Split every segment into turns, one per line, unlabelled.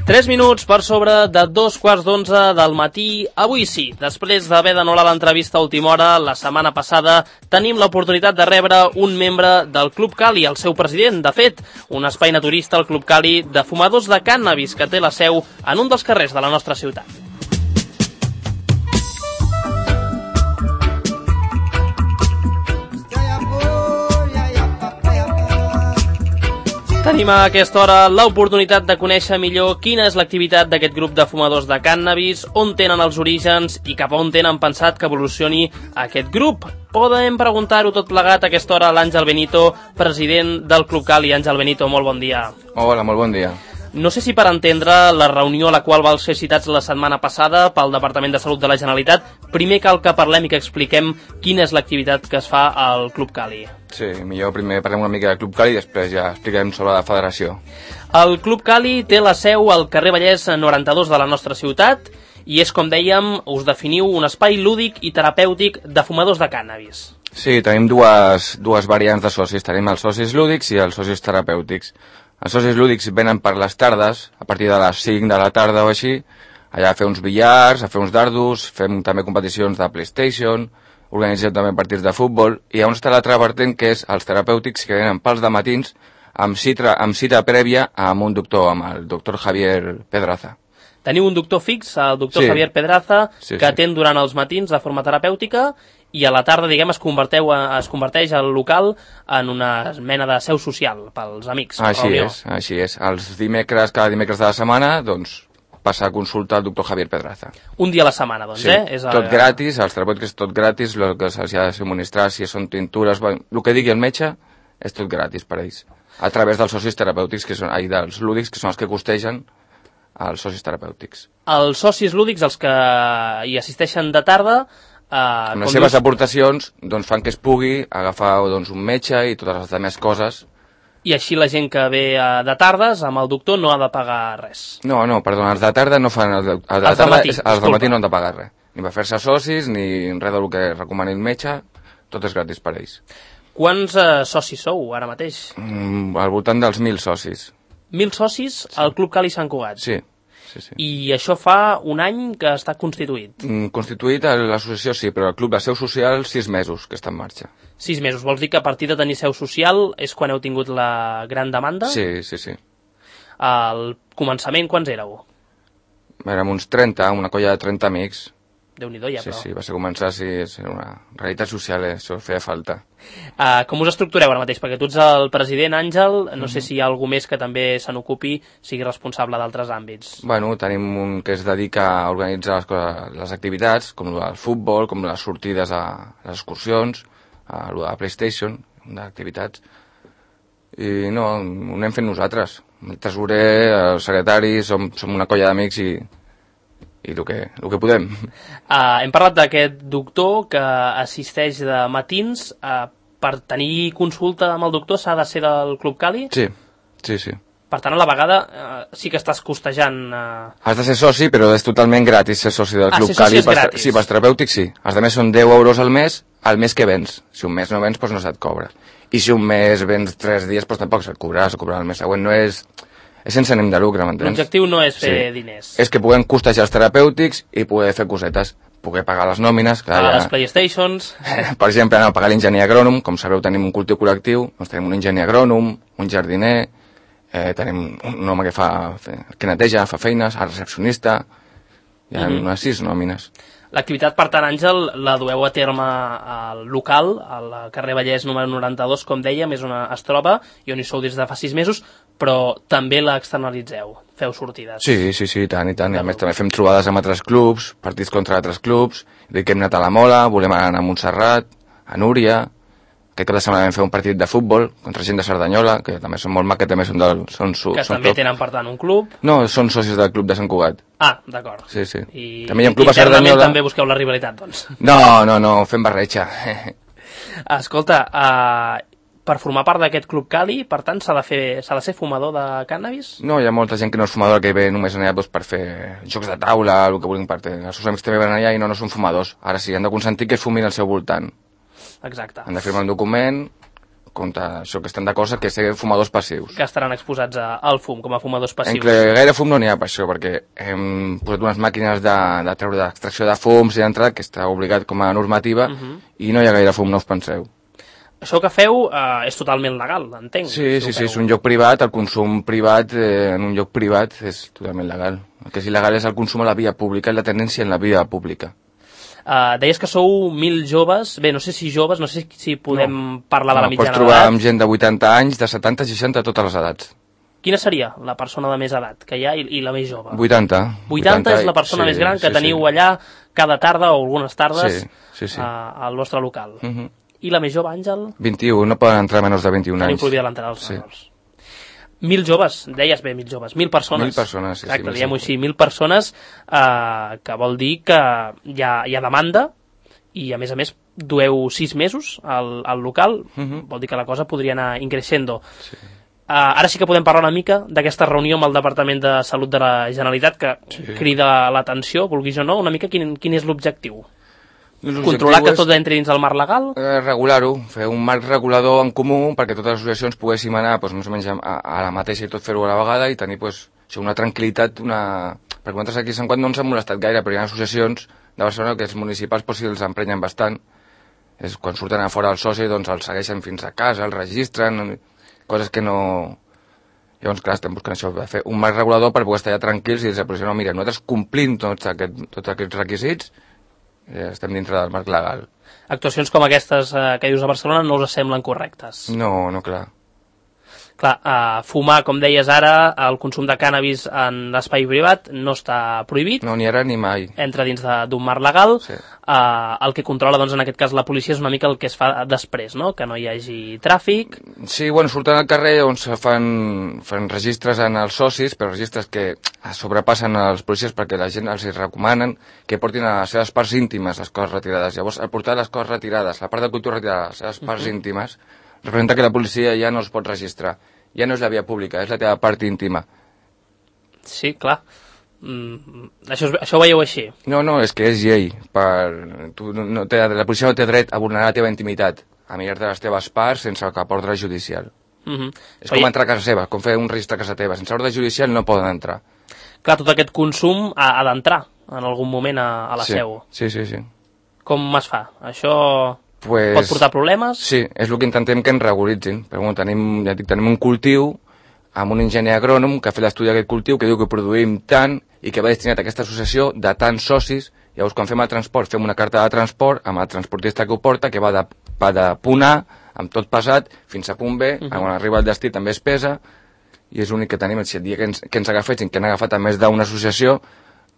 3 minuts per sobre de 2:15 del matí. Avui sí, després d'haver d'anul·lar l'entrevista a última hora la setmana passada, tenim l'oportunitat de rebre un membre del Club Cali, el seu president. De fet, un espai naturista, el Club Cali, de fumadors de cànnabis, que té la seu en un dels carrers de la nostra ciutat. Tenim a aquesta hora l'oportunitat de conèixer millor quina és l'activitat d'aquest grup de fumadors de cànnabis, on tenen els orígens i cap a on tenen pensat que evolucioni aquest grup. Podem preguntar-ho tot plegat a aquesta hora a l'Àngel Benito, president del Club Cali. Àngel Benito, molt bon dia.
Hola, molt bon dia.
No sé si per entendre la reunió a la qual vau ser citats la setmana passada pel Departament de Salut de la Generalitat, primer cal que parlem i que expliquem quina és l'activitat que es fa al Club Cali.
Sí, millor primer parlem una mica del Club Cali i després ja expliquem sobre la federació.
El Club Cali té la seu al carrer Vallès 92 de la nostra ciutat i és, com dèiem, us definiu un espai lúdic i terapèutic de fumadors de cànnabis.
Sí, tenim dues variants de socis. Tenim els socis lúdics i els socis terapèutics. Els socis lúdics venen per les tardes, a partir de les 5 de la tarda o així, allà a fer uns billars, a fer uns dardos, fem també competicions de PlayStation, organitzem també partits de futbol, i on està l'altra vertent, que és els terapèutics, que venen pels dematins, amb cita prèvia amb un doctor, amb el doctor Javier Pedraza.
Teniu un doctor fix, el doctor Javier Pedraza, que atén durant els matins de forma terapèutica, i a la tarda, diguem, es converteix el local en una mena de seu social pels amics.
Així és. Cada dimecres de la setmana, doncs, passa a consultar el doctor Javier Pedraza.
Un dia a la setmana, doncs,
sí, tot gratis, els terapèutics és tot gratis, el que se'ls ha de subministrar, si són tintures, el que digui el metge, és tot gratis per a ells. A través dels socis terapèutics, dels lúdics, que són els que costegen els socis terapèutics.
Els socis lúdics, els que hi assisteixen de tarda,
amb les seves aportacions doncs, fan que es pugui agafar doncs, un metge i totes les altres coses.
I així la gent que ve de tardes amb el doctor no ha de pagar res.
No, perdona, els de tarda no fan... Els de matí no han de pagar res. Ni per fer-se socis, ni res del que recomani el metge, tot és gratis per a ells.
Quants socis sou ara mateix?
Al voltant dels 1.000 socis.
1.000 socis al Club Cali Sant Cugat?
Sí.
I això fa un any que està constituït?
Constituït a l'associació sí, però el club de seu social 6 mesos que està en marxa.
6 mesos, vols dir que a partir de tenir seu social és quan heu tingut la gran demanda?
Sí.
Al començament quants éreu?
Érem uns 30, una colla de 30 amics.
Déu-n'hi-do ja, però.
Sí, va ser començar, és una realitat social, això feia falta.
Com us estructureu ara mateix? Perquè tu ets el president, Àngel, no sé si hi ha algú més que també se n'ocupi, sigui responsable d'altres àmbits.
Bueno, tenim un que es dedica a organitzar les activitats, com el futbol, com les sortides a les excursions, a la PlayStation, d'activitats. I no, ho anem fent nosaltres. El tresorer, el secretari, som una colla d'amics i el que podem.
Hem parlat d'aquest doctor que assisteix de matins. Per tenir consulta amb el doctor s'ha de ser del Club Cali?
Sí.
Per tant, a la vegada sí que estàs costejant...
Has de ser soci, però és totalment gratis ser soci del Club
Cali.
Sí, pels terapèutics sí. Els altres són 10 euros al mes que vens. Si un mes no vens, doncs no se't cobra. I si un mes vens 3 dies, doncs tampoc se't cobrarà el mes següent. No és... És sense ànim de lucre, m'entens?
L'objectiu no és fer diners.
És que puguem costejar els terapèutics i poder fer cosetes, poder pagar les nòmines...
Pagar les PlayStations...
Per exemple, pagar l'enginyer agrònom, com sabeu tenim un cultiu col·lectiu, doncs tenim un enginyer agrònom, un jardiner, tenim un home que neteja, fa feines, el recepcionista, hi ha unes 6 nòmines.
L'activitat, per tant, Àngel, la dueu a terme al local, al carrer Vallès número 92, com dèiem, es troba, i on hi sou des de fa 6 mesos, però també l'externalitzeu, feu sortides.
Sí, tant. I a més també fem trobades amb altres clubs, partits contra altres clubs, que hem anat a la Mola, volem anar a Montserrat, a Núria... Aquest cap de setmana vam fer un partit de futbol contra gent de Cerdanyola, que també són molt maques, que també són
també tenen, per tant, un club.
No, són socis del club de Sant Cugat.
D'acord.
Sí.
I
també hi ha un club a Cerdanyola.
També busqueu la rivalitat, doncs.
No, fem barreja.
Escolta, per formar part d'aquest Club Cali, per tant, s'ha de ser fumador de cànnabis?
No, hi ha molta gent que no és fumadora, que ve només allà per fer jocs de taula, el que vulguin per fer. Els seus amics també van allà i no són fumadors. Ara sí, han de consentir que fumin al seu voltant.
Exacte.
Han de firmar un document contra això, que estan d'acord que ser fumadors passius.
Que estaran exposats al fum, com a fumadors passius.
Gaire fum no n'hi ha per això, perquè hem posat unes màquines de treure d'extracció de fums i d'entrada, que està obligat com a normativa, i no hi ha gaire fum, no us penseu.
Això que feu és totalment legal, entenc.
Sí, és un lloc privat, el consum privat en un lloc privat és totalment legal. El que és il·legal és el consum a la via pública i la tendència en la via pública.
Deies que sou 1.000 joves, bé, no sé si joves, no sé si podem parlar de la mitjana
d'edat. Pots trobar amb gent de 80 anys, de 70, 60, totes les edats.
Quina seria la persona de més edat que hi ha i la més jove?
80.
80 és la persona més gran que teniu allà cada tarda o algunes tardes al vostre local. I la més jove, Àngel?
21, no poden entrar menys de 21 anys.
Tenim prohibida l'entrada als menors. 1.000 joves, deies bé, 1.000 joves, 1.000 persones.
1.000 persones, sí.
Exacte, diguem-ho així, 1.000 persones, que vol dir que hi ha demanda i, a més, dueu 6 mesos al local, vol dir que la cosa podria anar increixendo.
Sí.
Ara sí que podem parlar una mica d'aquesta reunió amb el Departament de Salut de la Generalitat, que crida l'atenció, vulguis o no, una mica quin és l'objectiu? Controlar que tot entri dins el marc legal?
Regular-ho, fer un marc regulador en comú perquè totes les associacions poguéssim anar més o menys a la mateixa i tot fer-ho a la vegada i tenir una tranquil·litat, perquè nosaltres aquí Sant Quant no ens ha molestat gaire, però hi ha associacions de Barcelona que els municipals si els emprenyen bastant. Quan surten a fora els socis doncs els segueixen fins a casa, els registren, coses que no... Llavors, clar, estem buscant això, fer un marc regulador per poder estar allà tranquils i dir, no, mira, nosaltres complim tots aquests requisits, estem dintre del marc legal.
Actuacions com aquestes que dius a Barcelona no us semblen correctes?
No, clar.
Clar, fumar, com deies ara, el consum de cànnabis en l'espai privat no està prohibit.
No, ni ara ni mai.
Entra dins d'un marc legal.
Sí.
El que controla, doncs, en aquest cas, la policia és una mica el que es fa després, no? Que no hi hagi tràfic.
Sí, surten al carrer on se fan registres en els socis, però registres que sobrepassen els policies perquè la gent els recomanen que portin a les seves parts íntimes les coses retirades. Llavors, al portar les coses retirades, la part de cultura retirada, les seves parts íntimes, representa que la policia ja no es pot registrar. Ja no és la via pública, és la teva part íntima.
Sí, clar. Això ho veieu així?
No, és que és llei. La policia no té dret a vulnerar la teva intimitat, a mirar-te les teves parts sense cap ordre judicial. És com entrar a casa seva, com fer un registre a casa teva. Sense ordre judicial no poden entrar.
Clar, tot aquest consum ha d'entrar en algun moment a la seu.
Sí.
Com es fa? Això... pot portar problemes?
Sí, és el que intentem que ens regularitzin. Però bueno, tenim un cultiu amb un enginyer agrònom que ha fet l'estudi d'aquest cultiu que diu que produïm tant i que va destinat a aquesta associació de tants socis. Llavors, quan fem el transport, fem una carta de transport amb el transportista que ho porta, que va de punt A, amb tot pesat, fins a punt B, quan arriba al destí també es pesa, i és l'únic que tenim. Si el dia que ens agafessin, que han agafat a més d'una associació,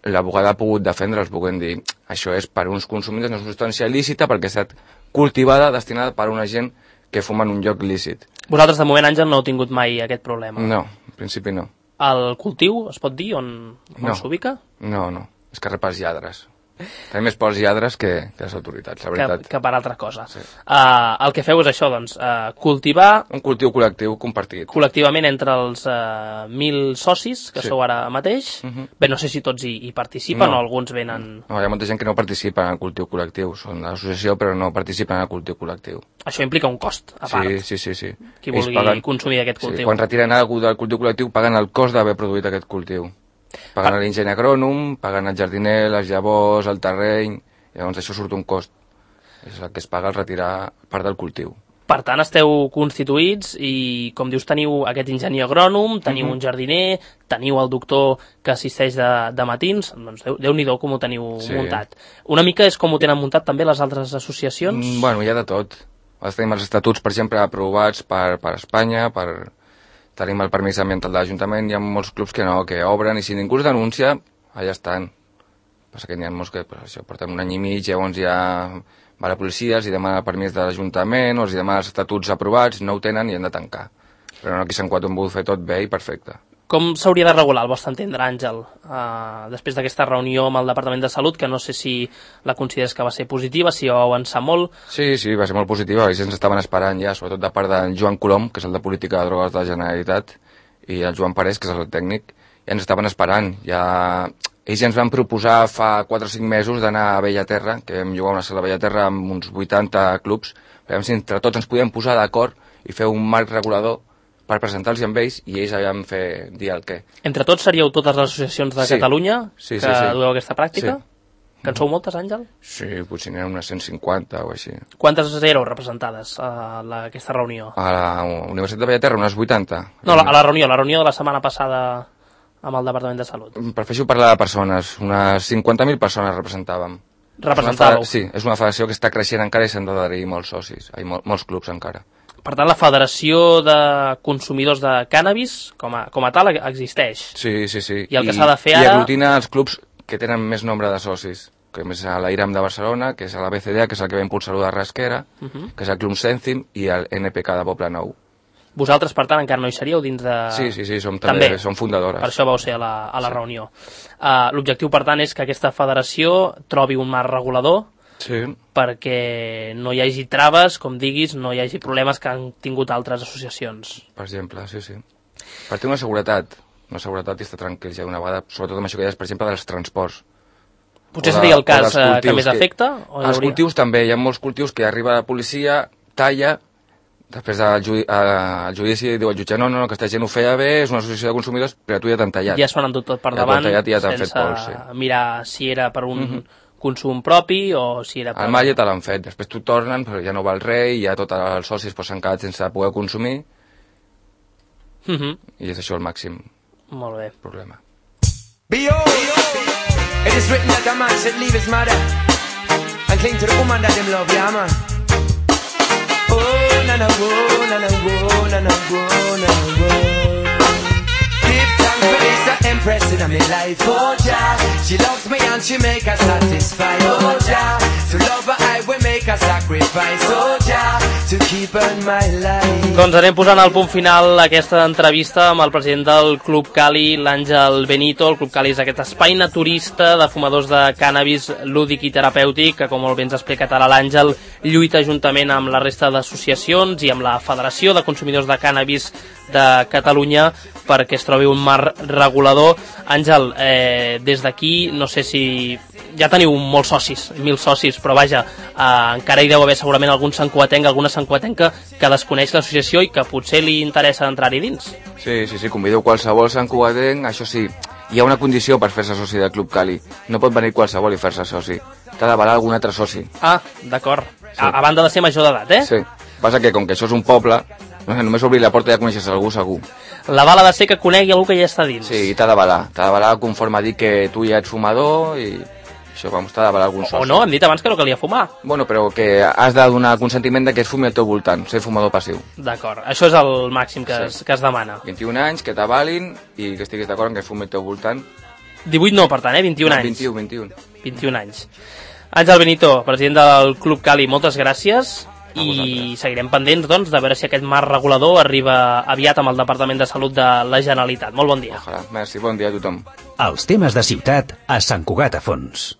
l'abogada ha pogut defendre'ls, puguem dir, això és per uns consumidors, no és una substància lícita perquè ha estat cultivada, destinada per una gent que fuma en un lloc lícit.
Vosaltres, de moment, Àngel, no heu tingut mai aquest problema?
No, en principi no.
El cultiu, es pot dir, on s'ubica?
No, és que rep els lladres. Tenim més pels lladres que les autoritats, la veritat.
Que per altra cosa. Sí. El que feu és això, doncs, cultivar...
Un cultiu col·lectiu compartit.
Col·lectivament entre els 1.000 socis, que sou ara mateix. Bé, no sé si tots hi participen o alguns venen...
No, hi ha molta gent que no participa en el cultiu col·lectiu. Són de l'associació, però no participen en el cultiu col·lectiu.
Això implica un cost, a part.
Sí.
Qui vulgui consumir aquest cultiu.
Sí, quan retiren alguna del cultiu col·lectiu, paguen el cost d'haver produït aquest cultiu. Paguen l'enginyer agrònom, paguen el jardiner, les llavors, el terreny, i llavors això surt un cost. És el que es paga al retirar part del cultiu.
Per tant, esteu constituïts i, com dius, teniu aquest enginyer agrònom, teniu un jardiner, teniu el doctor que assisteix de matins, doncs Déu-n'hi-do com ho teniu muntat. Una mica és com ho tenen muntat també les altres associacions?
Bueno, hi ha de tot. Tenim els estatuts, per exemple, aprovats per Espanya, tenim el permís ambiental de l'Ajuntament, hi ha molts clubs que no, que obren, i si ningú es denuncia, allà estan. Passa que n'hi ha molts que porten un any i mig, llavors ja va la policia, els demana el permís de l'Ajuntament, o els demana els estatuts aprovats, no ho tenen i han de tancar. Però no, aquí a Sant Quant ho hem volgut fer tot bé i perfecte.
Com s'hauria de regular, al vostre entendre, Àngel, després d'aquesta reunió amb el Departament de Salut, que no sé si la consideres que va ser positiva, si va avançar molt? Sí,
va ser molt positiva, ells ens estaven esperant ja, sobretot de part del Joan Colom, que és el de Política de Drogues de la Generalitat, i el Joan Parés, que és el tècnic, ja ens estaven esperant. Ells ja ens van proposar fa 4 o 5 mesos d'anar a Bellaterra, que vam jugar una sala a Bellaterra amb uns 80 clubs, veiem si entre tots ens podíem posar d'acord i fer un marc regulador per presentar-los amb ells i ells allà fer dir el què.
Entre tots seríeu totes les associacions de Catalunya que dueu aquesta pràctica? Que en sou moltes, Àngel?
Sí, potser n'hi ha unes 150 o així.
Quantes éreu representades a aquesta reunió?
A la Universitat de Bellaterra, unes 80.
No, a la reunió de la setmana passada amb el Departament de Salut.
Prefereixo parlar de persones, unes 50.000 persones representàvem.
Representàveu?
Sí, és una federació que està creixent encara i s'han d'adherir molts socis, molts clubs encara.
Per tant, la Federació de Consumidors de Cànnabis, com a tal, existeix.
Sí.
I el que s'ha de fer ara...
I aglutina els clubs que tenen més nombre de socis, que és a l'IRAM de Barcelona, que és a la BCDA, que és el que va impulsar-ho de Rasquera, que és el Club Cèntim, i el NPK de Poble Nou.
Vosaltres, per tant, encara no hi seríeu dins de...
Sí, som fundadores.
Per això vau ser a la reunió. L'objectiu, per tant, és que aquesta federació trobi un marc regulador perquè no hi hagi traves, com diguis, no hi hagi problemes que han tingut altres associacions.
Per exemple, sí. Per tenir una seguretat i estar tranquil ja d'una vegada, sobretot amb això que deies, per exemple, dels transports.
Potser seria el cas que més afecta?
Els cultius també, hi ha molts cultius que arriba la policia, talla, després al judici diu el jutge, no, que aquesta gent ho feia bé, és una associació de consumidors, però tu ja t'han tallat.
Ja s'ho han endut tot per davant,
sense
mirar si era per un consum propi o si era per...
El mal ja te l'han fet, després tu tornen, però ja no val res, i ja tots els socis s'han quedat sense poder consumir, i és això el màxim problema.
It is written that a man should leave his mother and cling to the woman that him love, yeah man. Oh, na na wo, na na wo, na na wo, na na wo. Give thanks for this, the empress in my life, oh Jah. She loves me and she make her satisfied, oh Jah. To love her I will make a sacrifice, oh Jah. To keep her in my life.
Doncs anem posant al punt final aquesta entrevista amb el president del Club Cali, l'Àngel Benito. El Club Cali és aquest espai naturista de fumadors de cànnabis lúdic i terapèutic que, com molt bé ens ha explicat ara l'Àngel, lluita juntament amb la resta d'associacions i amb la Federació de Consumidors de Cànnabis de Catalunya perquè es trobi un marc regulador. Àngel, des d'aquí, no sé si... Ja teniu molts socis, 1.000 socis, però vaja, encara hi deu haver segurament algun santcugatenc, alguna santcugatenca que desconeix l'associació i que potser li interessa entrar-hi dins.
Sí, convido qualsevol santcugatenc, això sí, hi ha una condició per fer-se soci del Club Cali. No pot venir qualsevol i fer-se soci. T'ha d'avalar algun altre soci.
Ah, d'acord. Sí. A banda de ser major d'edat,
Sí. Passa que, com que això és un poble, només obrir la porta ja coneixes algú segur.
L'aval ha de ser que conegui algú que ja està dins.
Sí, i t'ha d'avalar conforme a dir que tu ja ets fumador i... Això, t'ha d'avalar algun soci.
O no, hem dit abans que no calia fumar.
Bueno, però que has de donar consentiment de que es fumi al teu voltant, ser fumador passiu.
D'acord, això és el màxim que es demana.
21 anys, que t'avalin i que estiguis d'acord en que es fumi al teu voltant.
18 no, per tant, 21 anys. 21 anys. Àngel Benito, president del Club Cali, moltes gràcies. I seguirem pendents, doncs, de veure si aquest marc regulador arriba aviat amb el Departament de Salut de la Generalitat. Molt bon dia.
Ojalà. Merci, bon dia a tothom.
Els temes de ciutat a Sant Cugat a Fons.